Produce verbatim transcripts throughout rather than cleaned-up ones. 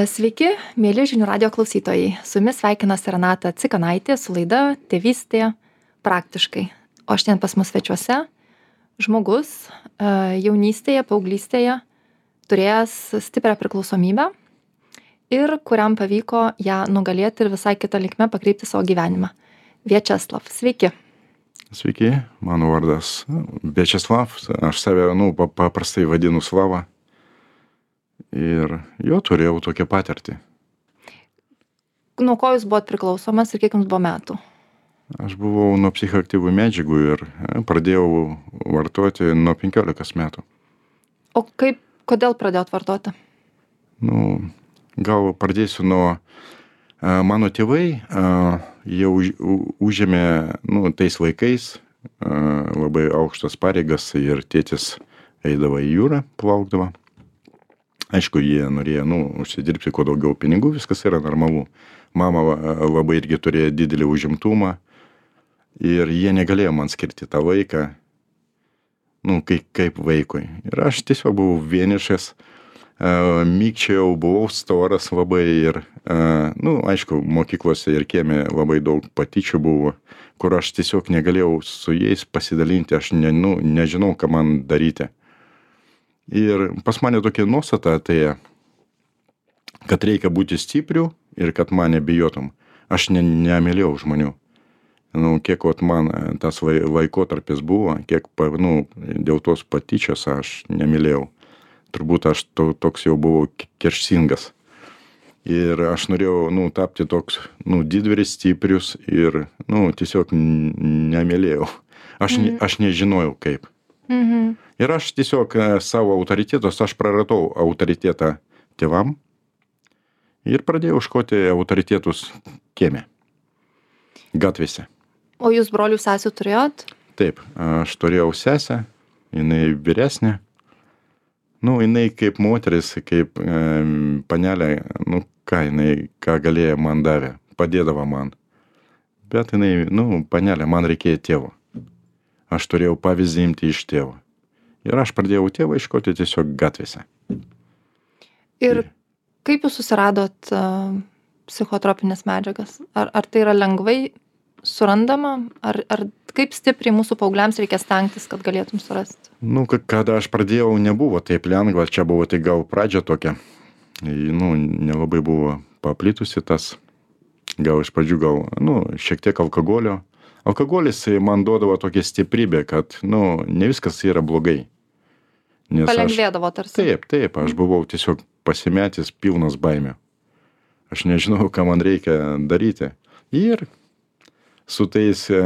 Sveiki, mėly žinių radio klausytojai. Su jumis sveikinasi Renata Cikanaitė su laida Tėvystė praktiškai. O šiandien pas mus svečiuose žmogus jaunystėje, paauglystėje turėjęs stiprią priklausomybę ir kuriam pavyko ją nugalėti ir visai kitą linkme pakreipti savo gyvenimą. Viačeslav, sveiki. Sveiki, mano vardas Viačeslav, aš save, nu, paprastai vadinu Slava. Ir jo turėjau tokią patirtį. Nuo ko jūs buvot priklausomas ir kiek jums buvo metų? Aš buvau nuo psichoaktyvių medžiagų ir pradėjau vartoti nuo penkiolikos metų. O kaip, kodėl pradėjot vartoti? Nu, gal pradėsiu nuo mano tėvai, jie už, užėmė, nu, tais laikais labai aukštas pareigas ir tėtis eidavo į jūrą, plaukdavo. Aišku, jie norėjo, nu, užsidirbti kuo daugiau pinigų, viskas yra normalu. Mama labai irgi turėjo didelį užimtumą ir jie negalėjo man skirti tą vaiką, nu, kaip, kaip vaikui. Ir aš tiesiog buvau vienišas, uh, mykčiau, buvau storas labai ir, uh, nu, aišku, mokyklose ir kieme labai daug patyčių buvo, kur aš tiesiog negalėjau su jais pasidalinti, aš ne, nu, nežinau, ką man daryti. Ir pas mane tokia nuostata atėjo, kad reikia būti stipriu ir kad mane bijotum. Aš ne, nemylėjau žmonių. Nu, kiek vat man tas laikotarpis buvo, kiek, nu, dėl tos patyčios aš nemylėjau. Turbūt aš to, toks jau buvau kerštingas. Ir aš norėjau, nu, tapti toks, nu, didvyris, stiprius ir, nu, tiesiog nemylėjau. Aš, mm. aš nežinojau kaip. Mhm. Ir aš tiesiog savo autoritetus, aš praradau autoritetą tėvam ir pradėjau ieškoti autoritetus kieme, gatvėse. O jūs brolių sesių turėjot? Taip, aš turėjau sesę, jinai vyresnė. Nu, jinai kaip moteris, kaip e, panelė, nu, ką jinai, ką galėjo man davė, padėdavo man. Bet jinai, nu, panelė, man reikėjo tėvo. Aš turėjau pavyzdį imti iš tėvo. Ir aš pradėjau tėvą ieškoti tiesiog gatvėse. Ir kaip jūs susiradot uh, psichotropinės medžiagas? Ar, ar tai yra lengvai surandama? Ar, ar kaip stipriai mūsų paaugliams reikia stengtis, kad galėtum surasti? Nu, kada aš pradėjau, nebuvo taip lengva. Čia buvo tai gal pradžia tokia. Nu, nelabai buvo paplitusi tas. Gal iš pradžių gal, nu, šiek tiek alkoholio. Alkoholis man duodavo tokią stiprybę, kad, nu, ne viskas yra blogai. Nes palengvėdavo tarsi. Taip, taip, aš buvau tiesiog pasimetęs, pilnas baimių. Aš nežinau, ką man reikia daryti. Ir su tais e,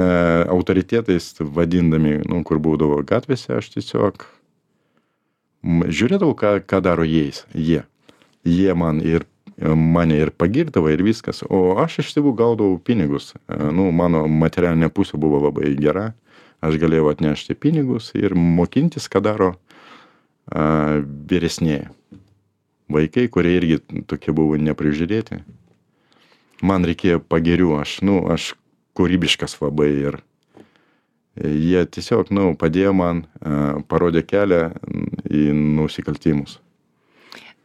autoritetais vadindami, nu, kur būdavo gatvėse, aš tiesiog žiūrėdavau, ką, ką daro jais, jie. Jie man ir mane ir pagirdavo ir viskas, o aš iš tėvų gaudavau pinigus. Nu, mano materialinė pusė buvo labai gera, aš galėjau atnešti pinigus ir mokintis, ką daro a, vyresnėje. Vaikai, kurie irgi tokie buvo neprižiūrėti. Man reikėjo pagirių, aš, nu, aš kūrybiškas labai ir jie tiesiog, nu, padėjo man, a, parodė kelią į nusikaltimus.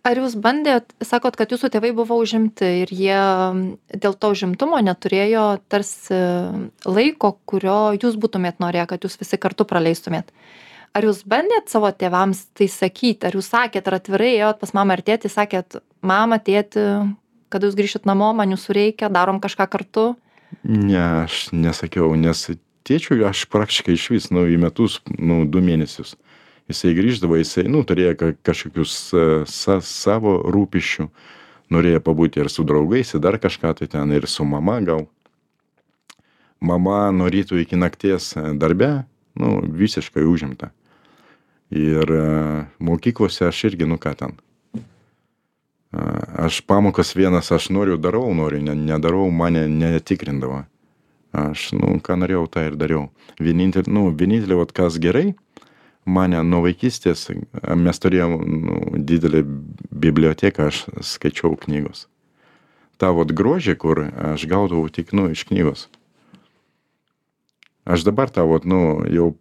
Ar jūs bandėt, sakot, kad jūsų tėvai buvo užimti ir jie dėl to užimtumo neturėjo tarsi laiko, kurio jūs būtumėt norėję, kad jūs visi kartu praleistumėt. Ar jūs bandėt savo tėvams tai sakyti? Ar jūs sakėt, ar atvirai ėjot pas mamą ar tėtį, sakėt, mama, tėti, kada jūs grįšit namo, man jūsų reikia, darom kažką kartu? Ne, aš nesakiau, nes tėčiui aš praktiškai iš vis, nu, į metus, nu, du mėnesius. Jisai grįždavo, jisai, nu, turėjo kažkokius sa, savo rūpiščių, norėjo pabūti ir su draugais, ir dar kažką, tai ten ir su mama gal. Mama nuo ryto iki nakties darbe, nu, visiškai užimta. Ir uh, mokyklose aš irgi, nu, ką ten. Uh, aš pamokas vienas, aš noriu, darau, noriu, ne, nedarau, mane netikrindavo. Aš, nu, ką norėjau, tą ir dariau. Vienintelį, nu, vienintelį, vat, kas gerai, mane nuo vaikystės, mes turėjom, nu, didelę biblioteką, aš skaičiau knygos. Ta vat grožį, kur aš gaudavau tik, nu, iš knygos. aš dabar tą, vat, nu, jau,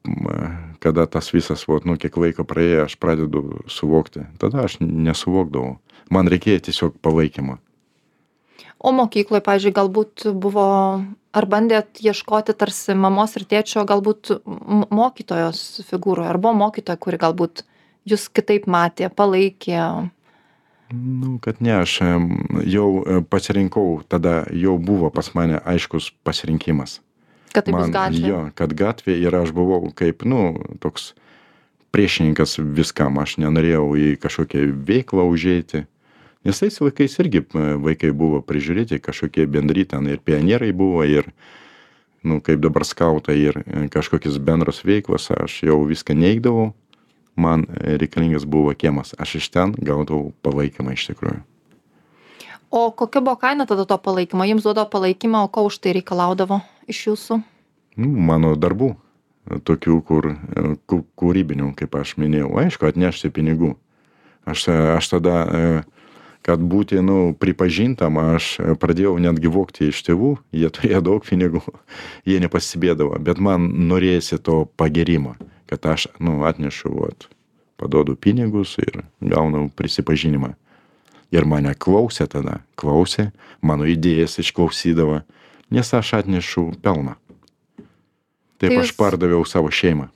kada tas visas, vat, nu, kiek laiko praėjo, aš pradedu suvokti. Tada aš nesuvokdavau. Man reikėjo tiesiog palaikymo. O mokykloje, pavyzdžiui, galbūt buvo, ar bandėt ieškoti tarsi mamos ir tėčio, galbūt mokytojos figūroje, ar buvo mokytoja, kuri galbūt jūs kitaip matė, palaikė? Nu, kad ne, aš jau pasirinkau, tada jau buvo pas mane aiškus pasirinkimas. Kad tai Man, bus gatvė? Jo, kad gatvė ir aš buvau kaip, nu, toks priešininkas viskam. Aš nenorėjau į kažkokią veiklą užeiti. Nes tais laikais irgi vaikai buvo prižiūrėti, kažkokie bendri ten ir pionierai buvo, ir, nu, kaip dabar skautai, ir kažkokios bendros veiklos. Aš jau viską neigdavau. Man reikalingas buvo kiemas. Aš iš ten gaudavau palaikymą iš tikrųjų. O kokia buvo kaina tada to palaikymo? Jums duodavo palaikymą, o ko už tai reikalaudavo iš jūsų? Nu, mano darbų, tokių, kur ku- kūrybinių, kaip aš minėjau. Aišku, atnešti pinigų. Aš, aš tada, kad būti, nu, pripažintam, aš pradėjau netgi vogti iš tėvų. Jie turėjo daug pinigų, jie nepasibėdavo. Bet man norėjosi to pagerimo, kad aš, nu, atnešu, vat, paduodu pinigus ir gaunu prisipažinimą. Ir mane klausė tada, klausė, mano idėjas išklausydavo, nes aš atnešu pelną. Taip Tai aš jūs- pardaviau savo šeimą.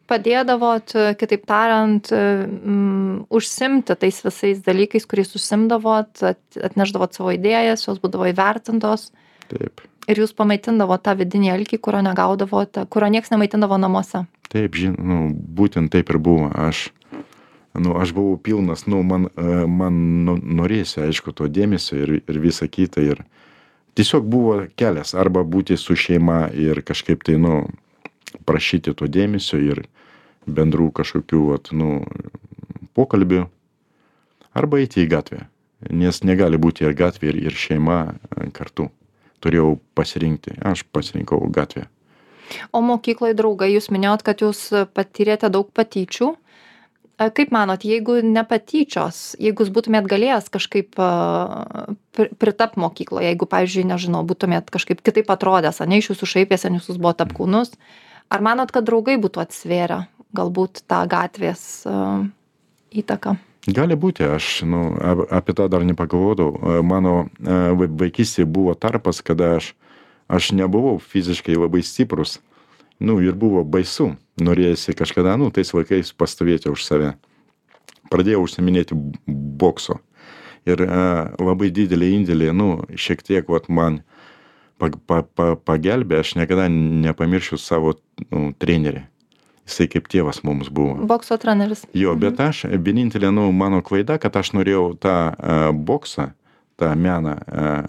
Padėdavot, kitaip tariant, mm, užsimti tais visais dalykais, kuriais užsimdavot, at- atnešdavot savo idėjas, jos būdavo įvertintos Taip, ir jūs pamaitindavot tą vidinį alkį, kurio negaudavote, kurio nieks nemaitindavo namuose. taip, žin, nu, būtent taip ir buvo. Aš, nu, aš buvau pilnas, nu, man, e, man nu, norėsi, aišku, to dėmesio ir, ir visa kita. Ir tiesiog buvo kelias, arba būti su šeima ir kažkaip tai, nu, prašyti to dėmesio ir bendrų kažkokių, vat, nu, pokalbių, arba eiti į gatvę. Nes negali būti ir gatvė, ir, ir šeima e, kartu. Turėjau pasirinkti, aš pasirinkau gatvę. O mokykloje draugai, jūs minėjot, kad jūs patyrėte daug patyčių. E, Kaip manot, jeigu ne patyčios, jeigu jūs būtumėt galėjęs kažkaip pritap mokykloje, jeigu, pavyzdžiui, nežinau, būtumėt kažkaip kitaip atrodęs, ane, iš jūsų šaipėsi, nes jūs buvot apkūnus, ar manot, kad draugai būtų atsvėrę galbūt tą gatvės e, įtaką? Gali būti, aš, nu, ap- apie tą dar nepagalvodavau. E, Mano e, vai- vaikystėje buvo tarpas, kada aš, aš nebuvau fiziškai labai stiprus. Nu, ir buvo baisu. Norėjusi kažkada, nu, tais vaikais pastovėti už save. Pradėjau užsiminėti bokso. Ir e, labai didelį indėlį, nu, šiek tiek, vat, man pa, pa, pa, pagelbė, aš niekada nepamiršiu savo, nu, trenerį. Jisai kaip tėvas mums buvo. Bokso treneris. Jo, bet aš, vienintelė, nu, mano klaida, kad aš norėjau tą uh, boksą, tą meną, uh,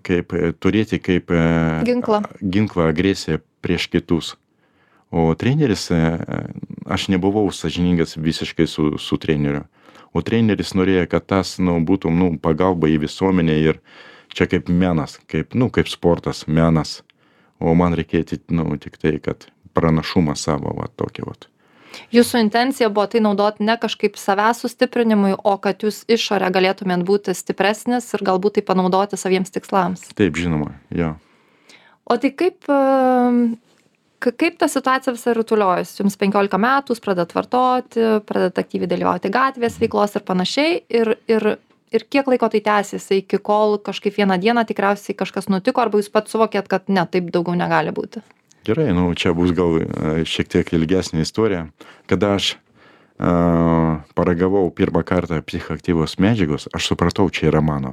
kaip e, turėti kaip uh, Ginklą. ginklą agresiją prieš kitus. O treneris, uh, aš nebuvau sąžiningas visiškai su, su treneriu. O treneris norėjo, kad tas, nu, būtų, nu, pagalba į visuomenę ir čia kaip menas, kaip, nu, kaip sportas, menas. O man reikėjo, nu, tik tai, kad pranašumą savo, va, tokį, va. Jūsų intencija buvo tai naudoti ne kažkaip savęs sustiprinimui, o kad jūs išorę galėtumėt būti stipresnis ir galbūt tai panaudoti saviems tikslams. Taip, žinoma, jo. O tai kaip, em, ka- kaip ta situacija visą rutuliojasi? Jums penkiolika metų, jūs pradedat vartoti, pradedat aktyviai dalyvauti gatvės veiklos ir panašiai. Ir, ir, ir kiek laiko tai tęsiasi, iki kol kažkaip vieną dieną tikriausiai kažkas nutiko, arba jūs pats suvokėt, kad ne, taip daugiau negali būti? Gerai, nu, čia bus gal e, šiek tiek ilgesnė istorija. Kada aš a, paragavau pirmą kartą psichoaktyvios medžiagos, aš supratau, čia yra mano.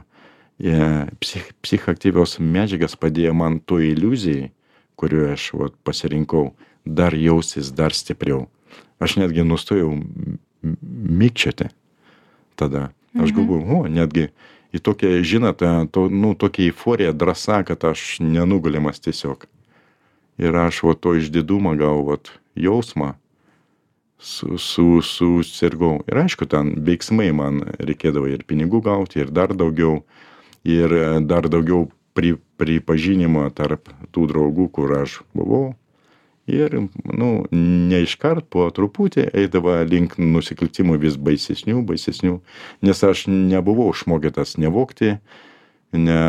E, psich, psichoaktyvios medžiagas padėjo man to iliuzijai, kurioje aš, vat, pasirinkau, dar jausis dar stipriau. Aš netgi nustojau m- m- mikčioti tada. Aš galvoju, o, netgi į tokią, žinote, to, nu, tokia euforija, drąsa, kad aš nenugalimas tiesiog. Ir aš va to išdidumą gal, vat, jausmą su, su, susirgau. Ir aišku, ten veiksmai man reikėdavo ir pinigų gauti, ir dar daugiau, ir e, dar daugiau pri, pripažinimo tarp tų draugų, kur aš buvau. Ir, nu, ne iškart, po truputį eidavo link nusikaltimų vis baisesnių, baisesnių, nes aš nebuvau išmokytas nevogti, ne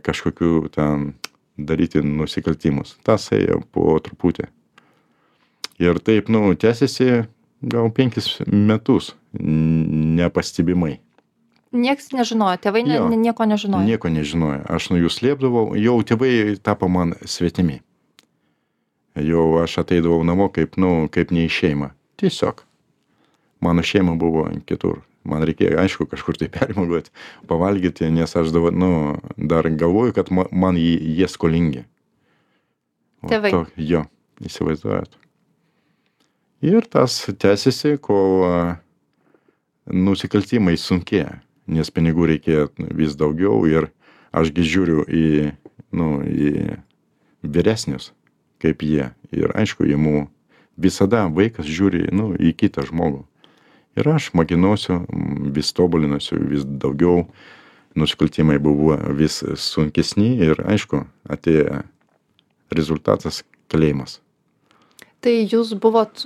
kažkokių ten daryti nusikaltimus. Tas ėjo po truputį. Ir taip, nu, tęsiasi gal penkis metus nepastebimai. Niekas nežinojo, tėvai ne, Jo. nieko nežinojo. Nieko nežinojo. Aš nuo jų slėpdavau, jau tėvai tapo man svetimi. Jau aš ateidavau namo kaip, nu, kaip ne į šeimą. Tiesiog. Mano šeima buvo kitur. Man reikėjo, aišku, kažkur tai permogoti, pavalgyti, nes aš dabar, nu, dar galvoju, kad ma- man jie, jie skolingi. O Tėvai. To, jo, įsivaizduojat. Ir tas tęsiasi, kol a, nusikaltimai sunkėja, nes pinigų reikėjo vis daugiau ir ašgi žiūriu į, nu, į vyresnius, kaip jie. Ir aišku, jie visada vaikas žiūri, nu, į kitą žmogų. Ir aš mokinausiu, vis tobulinusiu, vis daugiau, nusikaltimai buvo vis sunkesni ir aišku, atėjo rezultatas kalėjimas. Tai jūs buvot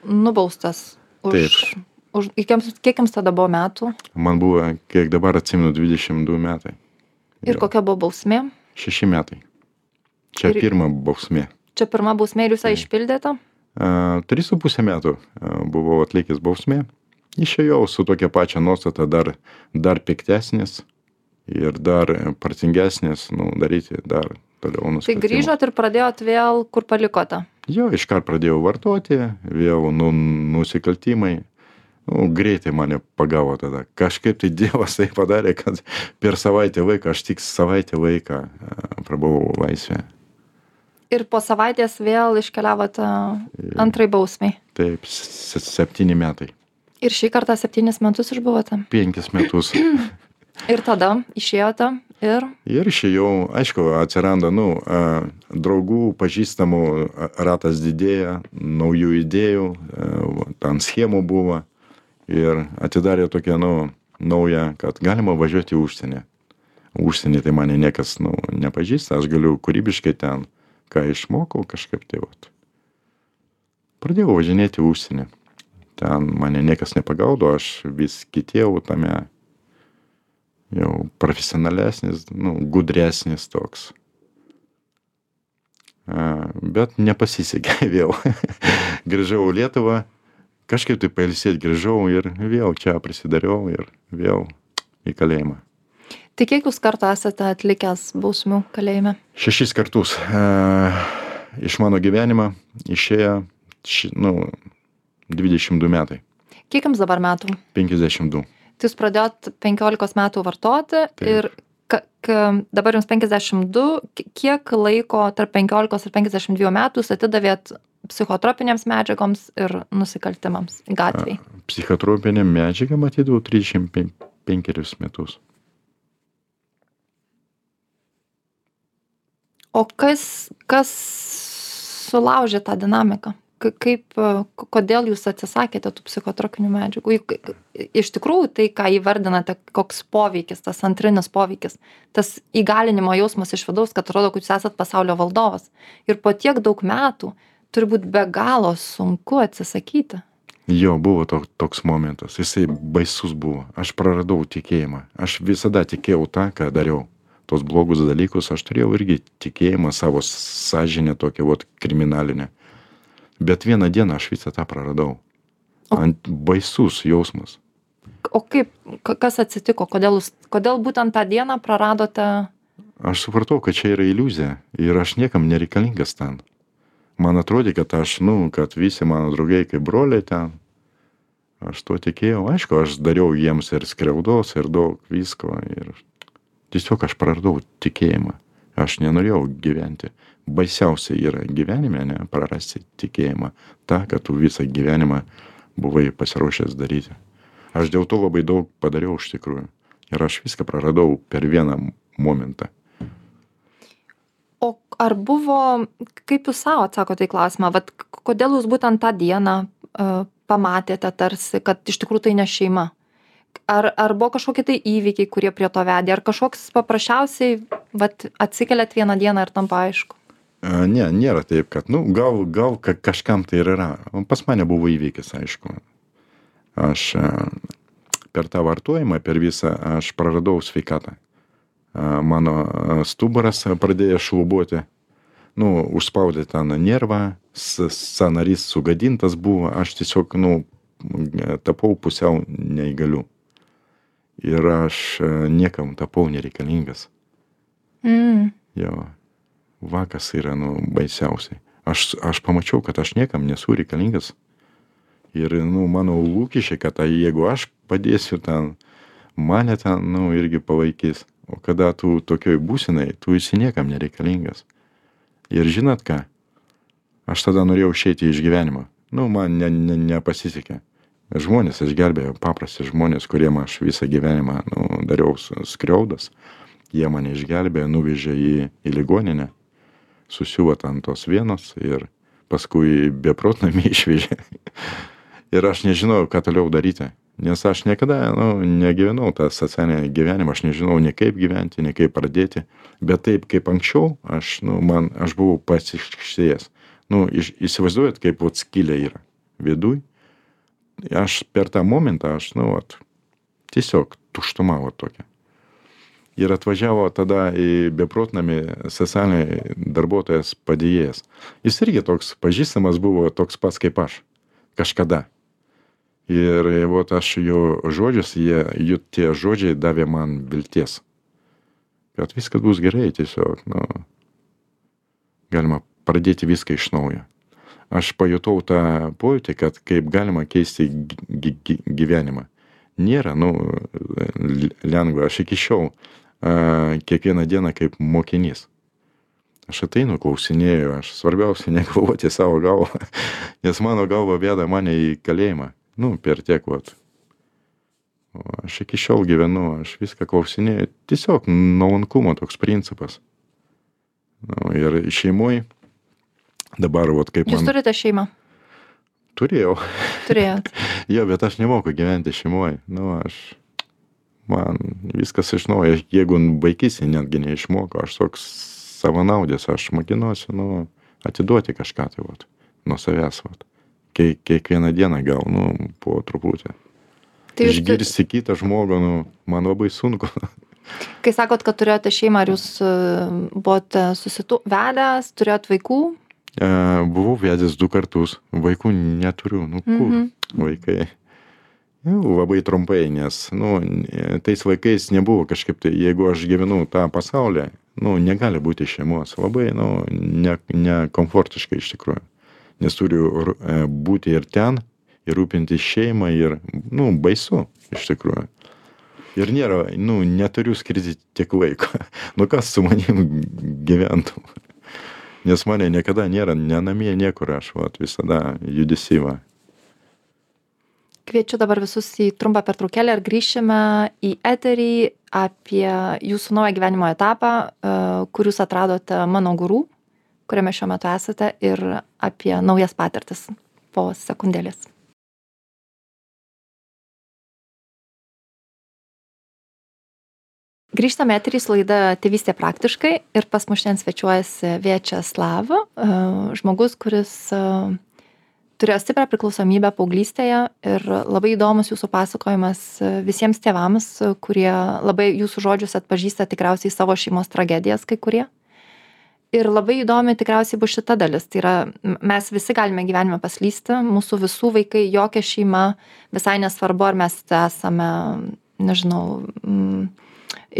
nubaustas už... Taip. už kiek jums- kiek jums tada buvo metų? Man buvo, kiek dabar atsimenu, dvidešimt du metai. Ir Jo. kokia buvo bausmė? Šeši metai. Čia Ir- pirma bausmė. Čia pirma bausmė ir jūs ją išpildėte? A, Tris su pusę metų a, buvau atlikęs bausmė. Išėjau su tokia pačia nuostata dar, dar piktesnis ir dar partingesnis, nu, daryti dar toliau Tai nusikaltimus. grįžot ir pradėjot vėl, kur palikote? Jo, iškart pradėjau vartoti, vėl nu, nusikaltimai. Nu, greitai mane pagavo tada. Kažkaip tai Dievas tai padarė, kad per savaitę laiką, aš tik savaitę laiką a, prabuvau laisvę. Ir po savaitės vėl iškeliavote antrai bausmiai. Taip, s- septyni metai. Ir šį kartą septynis metus išbuvote. Penkis metus. Ir tada išėjote ir Ir išėjau, aišku, atsiranda, nu, a, draugų, pažįstamų a, ratas didėja, naujų idėjų, a, ten schemų buvo. Ir atidarė tokią, nu, naują, kad galima važiuoti į užsienį. Užsienį tai mane niekas, nu, nepažįsta, aš galiu kūrybiškai ten, ką išmokau kažkaip tai, vat. Pradėjau važinėti į užsienį. Ten mane niekas nepagaudo, aš vis kitėjau tame jau profesionalesnis, nu, gudresnis toks. A, bet nepasisekė vėl. Grįžau į Lietuvą, kažkaip tai pailsėti grįžau ir vėl čia prisidariau ir vėl į kalėjimą. tai kiek jūs kartų esate atlikęs bausmių kalėjime? Šešis kartus a, iš mano gyvenimo išėjo, ši, nu, dvidešimt du metai, Kiek jums dabar metų? penkiasdešimt du. Tai jūs pradėjot penkiolikos metų vartoti Taip. ir ka, ka, dabar jums penkiasdešimt du, ki- kiek laiko tarp penkiolikos ir penkiasdešimt dviejų metų jūs atidavėt psichotropinėms medžiagoms ir nusikaltimams gatvėj? Psichotropinė medžiaga matydavau trisdešimt penkerius metus. O kas, kas sulaužė tą dinamiką? Ka- Kaip, e, k- kodėl jūs atsisakėte tų psichotropinių medžiagų? Juk, e, Iš tikrųjų, tai, ką įvardinate, koks poveikis, tas antrinis poveikis, tas įgalinimo jausmas iš vidaus, kad atrodo, kad jūs esat pasaulio valdovas. Ir po tiek daug metų turi būti be galo sunku atsisakyti. Jo, buvo to, toks momentas, jisai baisus buvo, aš praradau tikėjimą, aš visada tikėjau tą, ką dariau. Tos blogus dalykus aš turėjau irgi tikėjimą savo sąžinę tokią vat kriminalinę. Bet vieną dieną aš visą tą praradau. O- Ant baisus jausmas. O kaip, ka- kas atsitiko? Kodėl, jūs, kodėl būtent tą dieną praradote? Aš supratau, kad čia yra iliuzija ir aš niekam nereikalingas ten. Man atrodė, kad aš, nu, kad visi mano draugai kaip broliai ten. Aš tuo tikėjau, aišku, aš dariau jiems ir skriaudos, ir daug visko. Ir tiesiog aš praradau tikėjimą. Aš nenorėjau gyventi. Baisiausia yra gyvenime, ne, prarasti tikėjimą. Ta, kad tu visą gyvenimą buvai pasiruošęs daryti. Aš dėl to labai daug padariau iš tikrųjų. Ir aš viską praradau per vieną momentą. O ar buvo, kaip jūs savo atsakote į klausimą, vat, k- kodėl jūs būtent tą dieną uh, pamatėte tarsi, kad iš tikrųjų tai ne šeima? Ar, ar buvo kažkokie tai įvykiai, kurie prie to vedė? Ar kažkoks paprasčiausiai vat, atsikeliat vieną dieną ir tampa aišku? A, ne, nėra taip, kad, nu, gal, gal ka- kažkam tai ir yra. O pas mane buvo įvykis, aišku. Aš a, per tą vartojimą, per visą, aš praradau sveikatą. mano stuburas pradėjo šlubuoti, nu, užspaudė ten nervą, sąnarys sugadintas buvo, aš tiesiog, nu, tapau pusiau neįgaliu. Ir aš niekam tapau nereikalingas. Mm. Jo, vakas yra, nu, baisiausiai. Aš, aš pamačiau, kad aš niekam nesu reikalingas. Ir, nu, mano lūkesčiai, kad jeigu aš padėsiu ten, mane ten, nu, irgi palaikys. O kada tu tokioj būsenai, tu esi niekam nereikalingas. Ir žinot ką? Aš tada norėjau išeiti iš gyvenimo. Nu, man ne, ne, nepasisekė. Žmonės išgelbėjo, paprasti žmonės, kuriem aš visą gyvenimą, nu, dariau skriaudas. Jie mane išgelbėjo, nuvežė į, į ligoninę, susiuvo ant tos vienos ir paskui beprotnamį išvežė. Ir aš nežinau, ką toliau daryti. Nes aš niekada, nu, negyvenau tą socialinį gyvenimą, aš nežinau nei kaip gyventi, nei kaip pradėti. Bet taip kaip anksčiau, aš, nu, man, aš buvau pasiškštėjęs. Nu, iš, įsivaizduojat, kaip vat skylė yra viduj. Aš per tą momentą, aš, nu, vat, tiesiog tuštuma vat tokia. Ir atvažiavo tada į beprotnamį socialiniai darbuotojas padėjėjas. Jis irgi toks pažįstamas buvo, toks pats kaip aš. Kažkada. Ir vat aš jo žodžius, jie, jų tie žodžiai davė man vilties. Kad viskas bus gerai, tiesiog, nu, galima pradėti viską iš naujo. Aš pajutau tą pojūtį, kad kaip galima keisti gyvenimą. Nėra, nu, lengva. Aš iki šiol a, kiekvieną dieną kaip mokinys. Aš ateinu, klausinėju, aš svarbiausia negalvoti savo galvą, nes mano galva veda mane į kalėjimą. Nu, per tiek, vat. O aš iki šiol gyvenu, aš viską klausinėju. Tiesiog nuolankumo toks principas. Nu, ir šeimoj dabar, vat, kaip man... Jūs turite šeimą? Turėjau. Turėjot. Jo, bet aš nemoku gyventi šeimoj. Nu, aš... Man viskas iš naujo. Jeigu vaikystėje netgi neišmoko, aš toks savanaudis, aš mokinuosi, nu, atiduoti kažką tai, vat, nuo savęs, vat. Kiekvieną dieną gal, nu, po truputį. Tai išgirsti tu... kitą žmogų, nu, man labai sunku. Kai sakot, kad turėjote šeimą, ar jūs buvote susitu... vedęs, turėjot vaikų? E, buvau vedęs du kartus. Vaikų neturiu. Nu, kur mm-hmm. vaikai? Jau, labai trumpai, nes, nu, tais vaikais nebuvo kažkaip tai, jeigu aš gyvenu tą pasaulį, nu, negali būti šeimos. Labai, nu, ne, nekomfortiškai iš tikrųjų. Nes turiu būti ir ten, ir rūpinti šeimą, ir, nu, baisu, iš tikrųjų. Ir nėra, nu, neturiu skirti tiek laiko. Nu, kas su manim gyventų? Nes mane niekada nėra, ne namie niekur, aš, vat, visada judesyva. Kviečiu dabar visus į trumpą pertraukėlę ir grįšime į eterį apie jūsų naują gyvenimo etapą, kur jūs atradote Mano Guru, kuriame šiuo metu esate, ir apie naujas patirtis po sekundėlės. Grįžtame eterys laida Tėvystė praktiškai ir pas mus šiandien svečiuojasi Viačeslav, žmogus, kuris turėjo stiprią priklausomybę paauglystėje ir labai įdomus jūsų pasakojimas visiems tėvams, kurie labai jūsų žodžius atpažįsta tikriausiai savo šeimos tragedijas kai kurie. Ir labai įdomi tikriausiai bus šita dalis. Tai yra, mes visi galime gyvenime paslysti, mūsų visų vaikai, jokia šeima, visai nesvarbu, ar mes esame, nežinau, mm,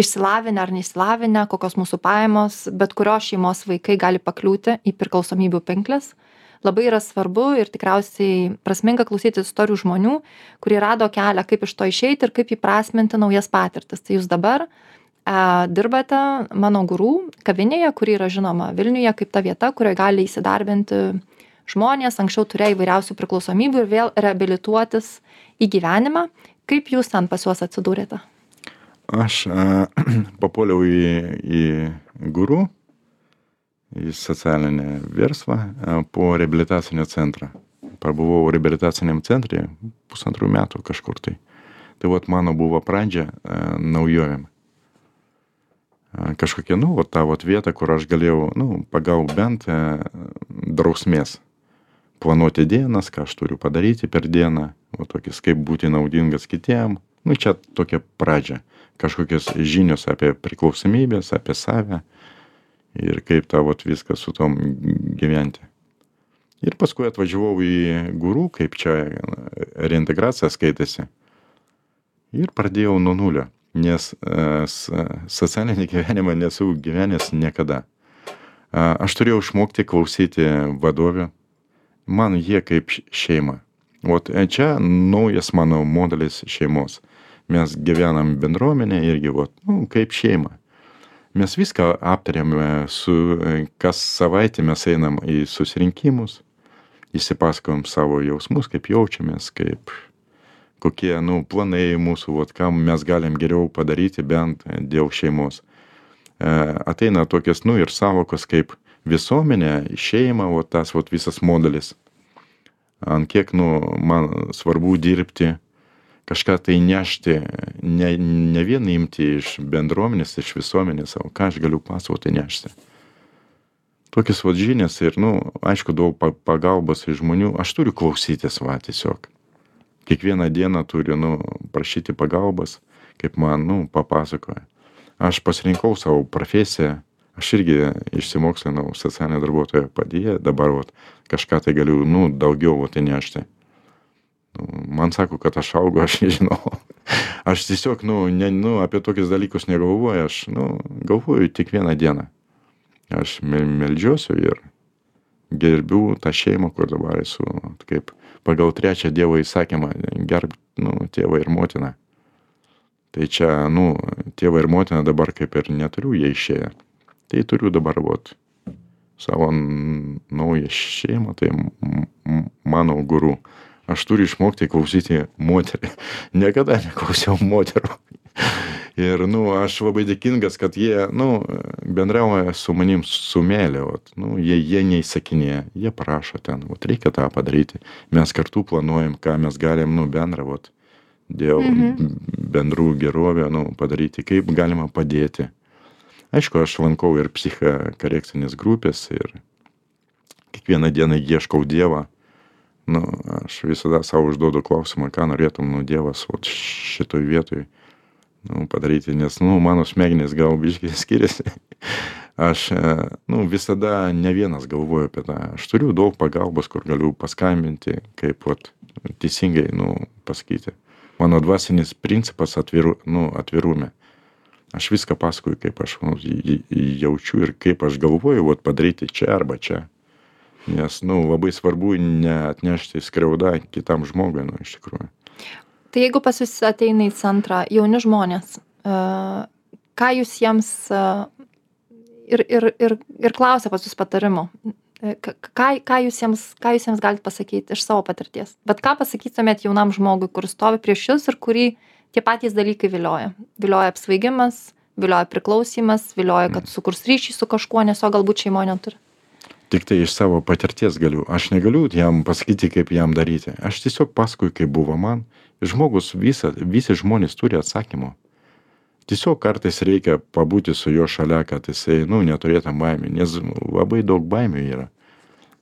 išsilavinę ar neįsilavinę, kokios mūsų pajamos, bet kurios šeimos vaikai gali pakliūti į priklausomybių pinkles. Labai yra svarbu ir tikriausiai prasminga klausyti istorijų žmonių, kurie rado kelią, kaip iš to išeiti ir kaip įprasminti naujas patirtis. Tai jūs dabar dirbate Mano Guru kavinėje, kuri yra žinoma Vilniuje kaip ta vieta, kurioje gali įsidarbinti žmonės, anksčiau turėjo įvairiausių priklausomybių ir vėl reabilituotis į gyvenimą. Kaip jūs ten pas juos atsidūrėte? Aš a, papuoliau į, į Guru, į socialinį verslą a, po reabilitacinio centrą. Pabuvau reabilitaciniam centre pusantrų metų kažkur tai. Tai vat mano buvo pradžia a, naujovėm. Kažkokia, nu, vat ta vat vieta, kur aš galėjau, nu, pagaut bent e, drausmės. Planuoti dienas, ką aš turiu padaryti per dieną, o tokis, kaip būti naudingas kitiem. Nu, čia tokia pradžia. kažkokios žinios apie priklausomybės, apie save ir kaip tą vat viską su tom gyventi. Ir paskui atvažiavau į guru, kaip čia reintegracija skaitėsi. Ir pradėjau nuo nulio, nes uh, socialinį gyvenimą nesu gyvenęs niekada. Uh, aš turėjau išmokti klausyti vadovių. Man jie kaip šeima. Ot čia naujas mano modelis šeimos. Mes gyvenam bendruomenė irgi, vat, nu, kaip šeima. Mes viską aptarėme su, kas savaitę mes einam į susirinkimus, įsipasakojam savo jausmus, kaip jaučiamės, kaip kokie, nu, planai mūsų, vat, ką mes galim geriau padaryti bent dėl šeimos. E, ateina tokias, nu, ir savokos kaip visuomenė, šeima, vat, tas vat, visas modelis. Ant kiek, nu, man svarbu dirbti, kažką tai nešti, ne, ne vien imti iš bendruomenės, iš visuomenės, o ką aš galiu pasakoti nešti. Tokias vat žinias ir, nu, aišku, daug pagalbos iš žmonių, aš turiu klausytis, va, tiesiog. Kiekvieną dieną turiu, nu, prašyti pagalbos, kaip man, nu, papasakoja. Aš pasirinkau savo profesiją, aš irgi išsimokslinau socialinio darbuotojo padėjėją, dabar, vat, kažką tai galiu, nu, daugiau, vat, įnešti. Man sako, kad aš augu, aš nežinau. Aš tiesiog, nu, ne, nu, apie tokius dalykus negalvoju, aš, nu, galvoju tik vieną dieną. Aš meldžiuosiu ir gerbiu tą šeimą, kur dabar esu, kaip pagal trečią Dievo įsakymą, gerb, nu, tėvą ir motiną. Tai čia, nu, tėvą ir motiną dabar kaip ir neturiu, jie išėję. Tai turiu dabar, vat, savo naują šeimą, tai mano guru. Aš turiu išmokti klausyti moterį. Niekada neklausiau moterų. Ir, nu, aš labai dėkingas, kad jie, nu, bendrauja su manim su meile, vat. Nu, jie, jie neįsakinėja, jie prašo ten, vat, reikia tą padaryti. Mes kartu planuojam, ką mes galim, nu, bendrą, vat, dėl mhm. bendrų gerovę, nu, padaryti, kaip galima padėti. Aišku, aš lankau ir psichokorekcinės grupės ir kiekvieną dieną ieškau Dievą. Nu, aš visada savo užduodu klausimą, ką norėtum, nu, Dievas, vat, šitoj vietoj, nu, padaryti, nes, nu, mano smegenys gal biškai skiriasi. Aš, nu, visada ne vienas galvoju apie tą. Aš turiu daug pagalbos, kur galiu paskambinti, kaip, vat, teisingai, nu, pasakyti. Mano dvasinis principas atviru, nu, atvirume. Aš viską pasakoju, kaip aš nu, jaučiu ir kaip aš galvoju, vat, padaryti čia arba čia. Nes, nu, labai svarbu neatnešti skriaudą kitam žmogui, nu, iš tikrųjų. Tai jeigu pas jūs ateina į centrą jauni žmonės, uh, ką jūs jiems uh, ir, ir, ir, ir klausia pas jūs patarimo, ką, ką, jūs jiems, ką jūs jiems galite pasakyti iš savo patirties? Bet ką pasakytumėt jaunam žmogui, kuris stovi prieš jūs ir kurį tie patys dalykai vilioja? Vilioja apsvaigimas, vilioja priklausymas, vilioja, kad sukurs ryšį su kažkuo, nes jo galbūt šeimoje neturi. Tik tai iš savo patirties galiu. Aš negaliu jam pasakyti, kaip jam daryti. Aš tiesiog pasakoju, kaip buvo man. Žmogus, visa, visi žmonės turi atsakymų. Tiesiog kartais reikia pabūti su juo šalia, kad jisai, nu, neturėtų baimių, nes labai daug baimių yra.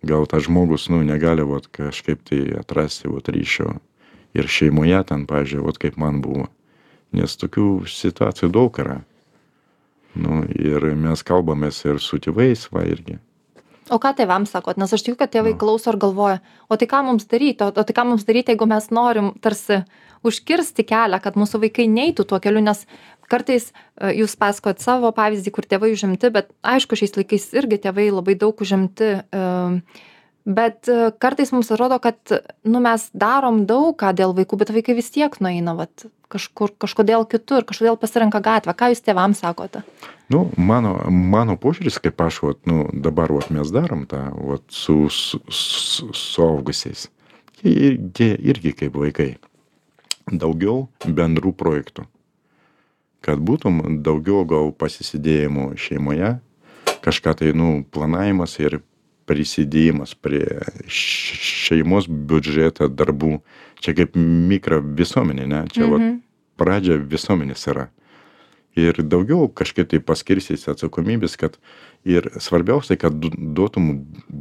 Gal tas žmogus, nu, negali, vat, kažkaip tai atrasti, vat, ryšio ir šeimoje ten, pavyzdžiui, vat, kaip man buvo. Nes tokių situacijų daug yra. Nu, ir mes kalbamės ir su tėvais, va, irgi. O ką tėvams sakot? Nes aš tikiu, kad tėvai klauso ir galvoja, o tai ką mums daryti, o, o tai ką mums daryti, jeigu mes norim tarsi užkirsti kelią, kad mūsų vaikai neitų tuo keliu, nes kartais jūs pasakojat savo pavyzdį, kur tėvai užimti, bet aišku, šiais laikais irgi tėvai labai daug užimti, bet kartais mums atrodo, kad, nu, mes darom daug ką dėl vaikų, bet vaikai vis tiek nueina, vat, kažkur, kažkodėl kitur, kažkodėl pasirenka gatvę. Ką jūs tėvams sakote? Nu, mano, mano požiūris, kaip aš, vat, nu, dabar vat, mes darom tą vat, su, su, su suaugusiais. Jie, jie irgi kaip vaikai. Daugiau bendrų projektų. Kad būtum daugiau gal pasisidėjimų šeimoje, kažką tai, nu, planavimas ir prisidėjimas prie šeimos biudžeto darbų. Čia kaip mikro visuomenė, ne? Čia mhm. vat, pradžia visuomenės yra. Ir daugiau kažkaip tai paskirsis atsakomybės, kad ir svarbiausia, kad duotum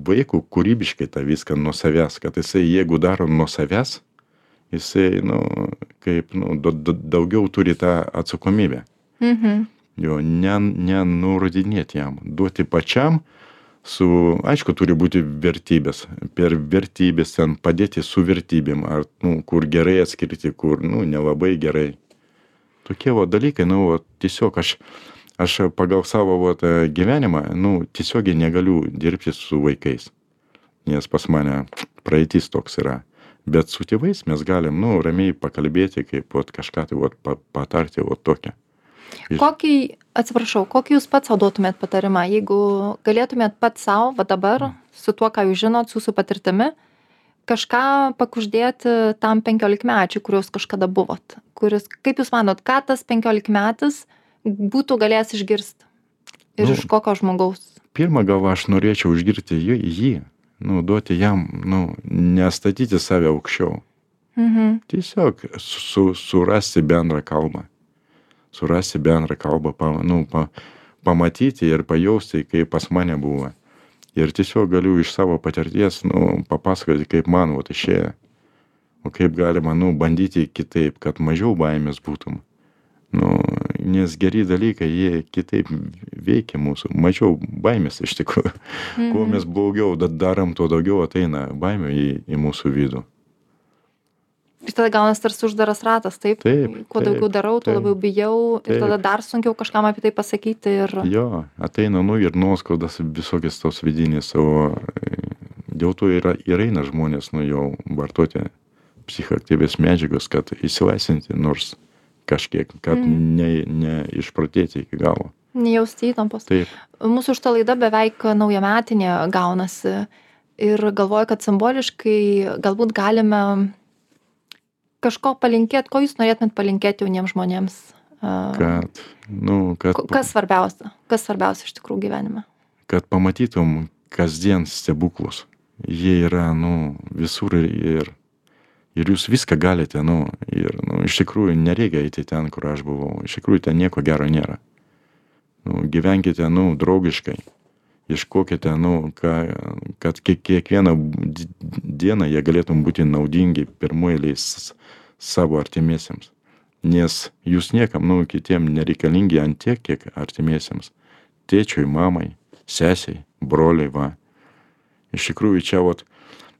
vaikų kūrybiškai tą viską nuo savęs, kad jisai, jeigu daro nuo savęs, jisai, nu, kaip, nu, da- da- daugiau turi tą atsakomybę. Mhm. Jo, ne, nenurodinėti jam, duoti pačiam su, aišku, turi būti vertybės. Per vertybės ten padėti su vertybėm, ar, nu, kur gerai atskirti, kur, nu, nelabai gerai. Tokie va dalykai, nu, va, tiesiog aš, aš pagal savo va, tą gyvenimą, nu, tiesiogiai negaliu dirbti su vaikais, nes pas mane praeitis toks yra. Bet su tėvais mes galim, nu, ramiai pakalbėti, kaip va, kažką tai va, pa, patarti va tokią. Ir- Kokį, atsiprašau, kokį jūs pats sau duotumėt patarimą, jeigu galėtumėt pats sau, va dabar, su tuo, ką jūs žinot, su jūsų patirtimi, kažką pakuždėti tam penkiolikmečiui, kurios kažkada buvot, kuris, kaip jūs manot, ką tas penkiolikmetis būtų galėjęs išgirsti ir Nu, iš kokio žmogaus? Pirmą gal aš norėčiau išgirti jį, jį, nu, duoti jam, nu, nestatyti save aukščiau. Mhm. Tiesiog su, surasti bendrą kalbą. Surasti bendrą kalbą, pa, nu, pa, pamatyti ir pajausti, kaip pas mane buvo. Ir tiesiog galiu iš savo patirties, nu, papasakoti, kaip man vat išėjo. O kaip galima, nu, bandyti kitaip, kad mažiau baimės būtum. Nu, nes geri dalykai, jie kitaip veikia mūsų. Mažiau baimės iš tikrųjų. Mhm. Kuo mes blogiau da- darom, tuo daugiau ateina baimė į, į mūsų vidų. Ir tada gaunas tarsi uždaras ratas, taip? Taip, Kuo taip, daugiau darau, tuo taip, labiau bijau ir taip. tada dar sunkiau kažkam apie tai pasakyti ir... Jo, ateina, nu, ir nuoskaudas visokias tos vidinės, o e, dėl to yra, ir eina žmonės, nu, jau vartoti psichoaktyvės medžiagos, kad įsilaisvinti nors kažkiek, kad Mhm. ne, ne išprotėti iki galo. Nejausti įtampos. Taip, Mūsų šita laida beveik naujametinė gaunasi ir galvoju, kad simboliškai galbūt galime kažko palinkėti, ko jūs norėtumėt palinkėti jauniems žmonėms. A, kad, nu, kad, ko- Kas svarbiausia? Kas svarbiausia iš tikrųjų gyvenime? kad pamatytum kasdien stebuklus. Jie yra, nu, visur ir, ir jūs viską galite, nu, ir, nu, iš tikrųjų nereikia eiti ten, kur aš buvau. Iš tikrųjų ten nieko gero nėra. Nu, gyvenkite, nu, draugiškai. Ieškokite, nu, ką, kad kiek, kiekvieną di- dieną jie galėtum būti naudingi pirmoji savo artimiesiems. Nes jūs niekam, nu, kitiem nereikalingi ant tiek, kiek artimiesiems. Tėčiui, mamai, sesiai, broliai, va. Iš tikrųjų, čia, vat,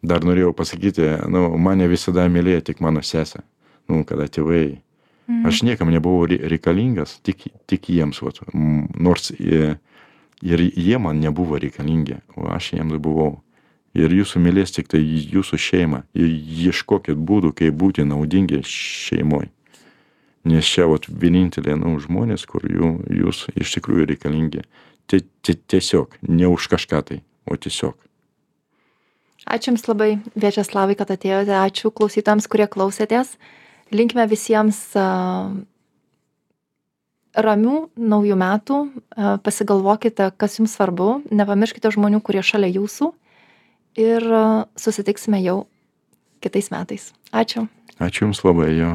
dar norėjau pasakyti, nu, mane visada mylėjo tik mano sesė. Nu, kada tėvai. Mhm. Aš niekam nebuvau re- reikalingas, tik, tik jiems, vat, m, nors jie, ir jie man nebuvo reikalingi, o aš jiems buvau. Ir jūsų mylės tik tai jūsų šeima. Ir ieškokit būdų, kaip būti naudingi šeimoj. Nes čia vat, vienintelė, nu, žmonės, kur jų, jūs iš tikrųjų reikalingi. Ti- ti- Tiesiog, ne už kažką tai, o tiesiog. Ačiū Jums labai, Viačeslavai, kad atėjote. Ačiū klausytams, kurie klausėtės. Linkime visiems a, ramių naujų metų. A, Pasigalvokite, kas Jums svarbu. Nepamirškite žmonių, kurie šalia Jūsų. Ir a, susitiksime jau kitais metais. Ačiū. Ačiū Jums labai, jo.